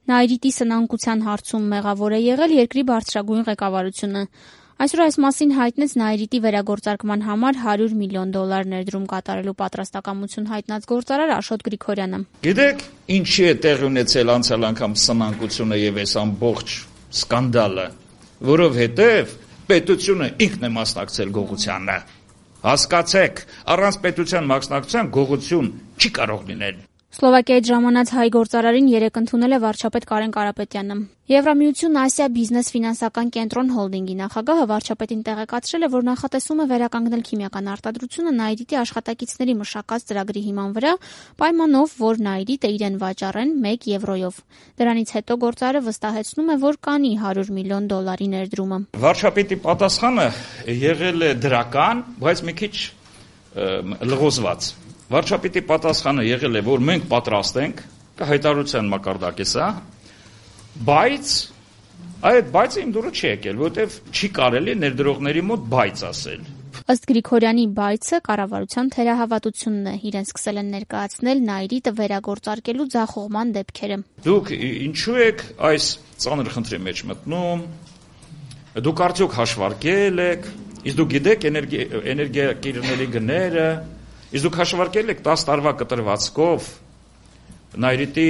Նայիրիտի սնանկության հարցում մեղավոր է եղել երկրի բարձրագույն ղեկավարությունը։ Այսօր այս մասին հայտնեց Նայիրիտի վերագործարկման համար $100 միլիոն ներդրում կատարելու պատրաստակամություն հայտնած գործարար Աշոտ Գրիգորյանը։ Գիտեք, ինչի է տեղի ունեցել անցյալ անգամ սնանկությունը եւ այս ամբողջ սկանդալը, որովհետեւ պետությունը ինքն է մասնակցել գողությանը։ Հասկացեք, առանց պետության մասնակցության գողություն չի կարող լինել։ Սլովակիայից ժամանած հայ գործարարին երեկ ընդունել է վարչապետ Կարեն Կարապետյանը։ Եվրամիություն Ասիա բիզնես ֆինանսական կենտրոն հոլդինգի նախագահը վարչապետին տեղեկացրել է, որ նախատեսում է վերականգնել քիմիական արտադրությունը Նայիրիտի աշխատակիցների մշակած ծրագրի հիման վրա, պայմանով, որ Նայիրիտը իրեն վաճառեն €1 Դրանից հետո գործարարը վստահեցնում է, որ կանի $100 միլիոն ներդրումը։ Վարչապետի պատասխանը եղել է դրական, բայց մի քիչ լղոզված։ Վարչապետի պատասխանը եղել է, որ մենք պատրաստ ենք, հայտարարության մակարդակի սա, բայց այդ բայցը իմ դուրը չի եկել, որովհետև չի կարելի ներդրողների մոտ բայց ասել։ Ըստ Գրիգորյանի բայցը կառավարության թերահավատությունն է, իրեն սկսել են ներկայացնել Նայիրիտը վերագործարկելու ձախողման դեպքերը։ Դուք ինչու եք այս ծանր խնդրի մեջ մտնում, դուք արդյոք հաշվարկել եք, իսկ դուք գիտեք էներգիակիրների գները, իսկ դուք հաշվարկել եք 10 տարվա կտրվածքով Նայիրիտի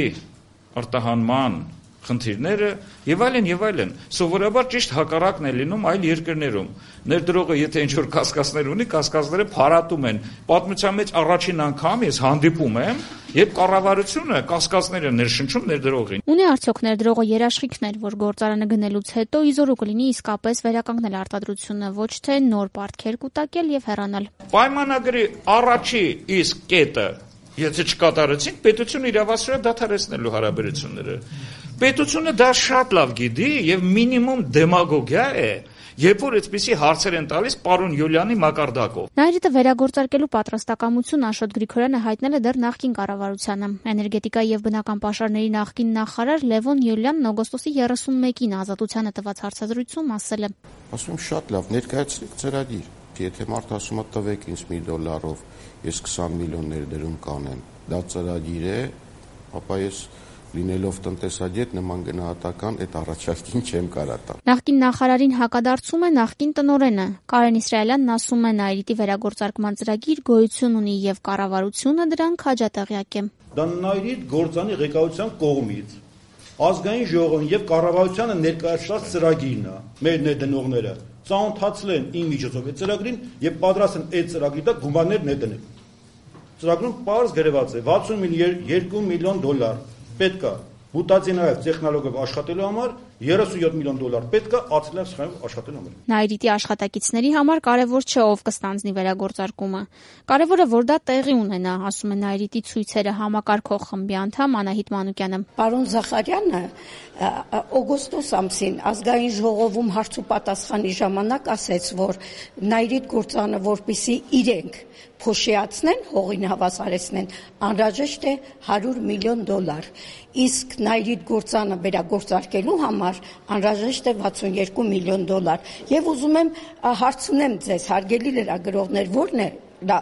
արտահանման խնդիրները եւ այլն եւ այլն։ Սովորաբար ճիշտ հակառակն է լինում այլ երկրներում։ Ներդրողը եթե ինչ-որ կասկածներ ունի, կասկածները փարատում են։ Պատմության մեջ առաջին անգամ ես հանդիպում եմ, երբ կառավարությունը կասկածները ներշնչում ներդրողին։ Ունի արդյոք ներդրողը երաշխիքներ, որ գործարանը գնելուց հետո իզորու կլինի իսկապես վերականգնել արտադրությունը, ոչ թե նոր պարտքեր կուտակել եւ հեռանալ։ Պայմանագրի առաջի իսկ կետը, եթե չկատարեցինք, պետությունը իրավասու է դադարեցնելու հարաբերությունները։ Պետությունը դա շատ լավ գիտի եւ մինիմում դեմագոգիա է, երբ որ այդպիսի հարցեր են տալիս պարոն Յուլիանի մակարդակով։ Նայիրիտը վերագործարկելու պատրաստակամություն Աշոտ Գրիգորյանը հայտնել է դեռ նախկին կառավարությանը։ Էներգետիկայի եւ բնական պաշարների նախկին նախարար Լևոն Յուլյանն օգոստոսի 31-ին Ազատությանը տված հարցազրույցում ասել է. Ասում եմ շատ լավ, ներկայացրեք ծրագիր։ Եթե մարդ ասում է տվեք ինձ $1, ես 20 միլիոն ներդրում կանեմ, դա ծրագիր է, ապա ես լինելով տնտեսագետ նման գնահատական այդ առաջարկին չեմ կարա տալ։ Նախկին նախարարին հակադարձում է նախկին տնօրենը։ Կարեն Իսրայելյանն ասում է Նայիրիտի վերագործարկման ծրագիր գոյություն ունի եւ կառավարությունը դրան քաջատեղյակ է։ Դա Նայիրիտ գործանի ղեկավարության կողմից ազգային ժողովին եւ կառավարությանը ներկայացված ծրագիրն է։ Մեր ներդնողները ծանոթացել են իմ միջոցով այդ ծրագրին եւ պատրաստ են այդ ծրագրի տակ գումարներ ներդնել։ Ծրագրում պարզ գրված է $62 միլիոն պետք է բուտացինայով տեխնոլոգիայով աշխատելու համար, $37 միլիոն պետք է ացլիվ սխեմով աշխատելու համար։ Նայիրիտի աշխատակիցների համար կարևոր չէ ով կստանձնի վերագործարկումը։ Կարևորը որ դա տեղի ունենա, ասում է Նայիրիտի ցույցերը համակարգող խմբի անդամ Անահիտ Մանուկյանը։ Պարոն Զախարյանը օգոստոս ամսին ազգային ժողովում հարց ու պատասխանի ժամանակ ասեց, որ Նայիրիտ գործանը որպեսզի իրենք փոշիացնեն, հողին հավասարեցնեն, անհրաժեշտ է $100 միլիոն։ Իսկ Նայիրիտ գործանը վերագործարկելու համար անհրաժեշտ է $62 միլիոն։ Եվ ուզում եմ հարցնեմ ձեզ, հարգելի լրագրողներ, ո՞րն է դա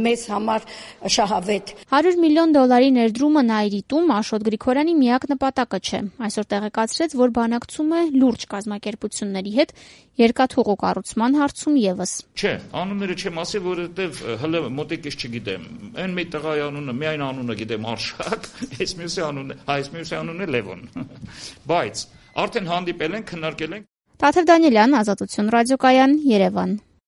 մեզ համար շահավետ։ $100 միլիոն ներդրումը Նայիրիտում Աշոտ Գրիգորյանի միակ նպատակը չէ։ Այսօր տեղեկացրեց, որ բանակցում է լուրջ կազմակերպությունների հետ երկաթուղու կառուցման հարցում եւս։ Չէ, անունները չեմ ասի, որովհետեւ հələ մոտիկից չգիտեմ։ Այն մի տղայի անունը, միայն անունը գիտեմ Արշակ, այս մյուսի անունը Լևոն։ Բայց արդեն հանդիպել ենք, քննարկել ենք։ Տաթև Դանիելյան, Ազատություն ռադիոկայան, Երևան։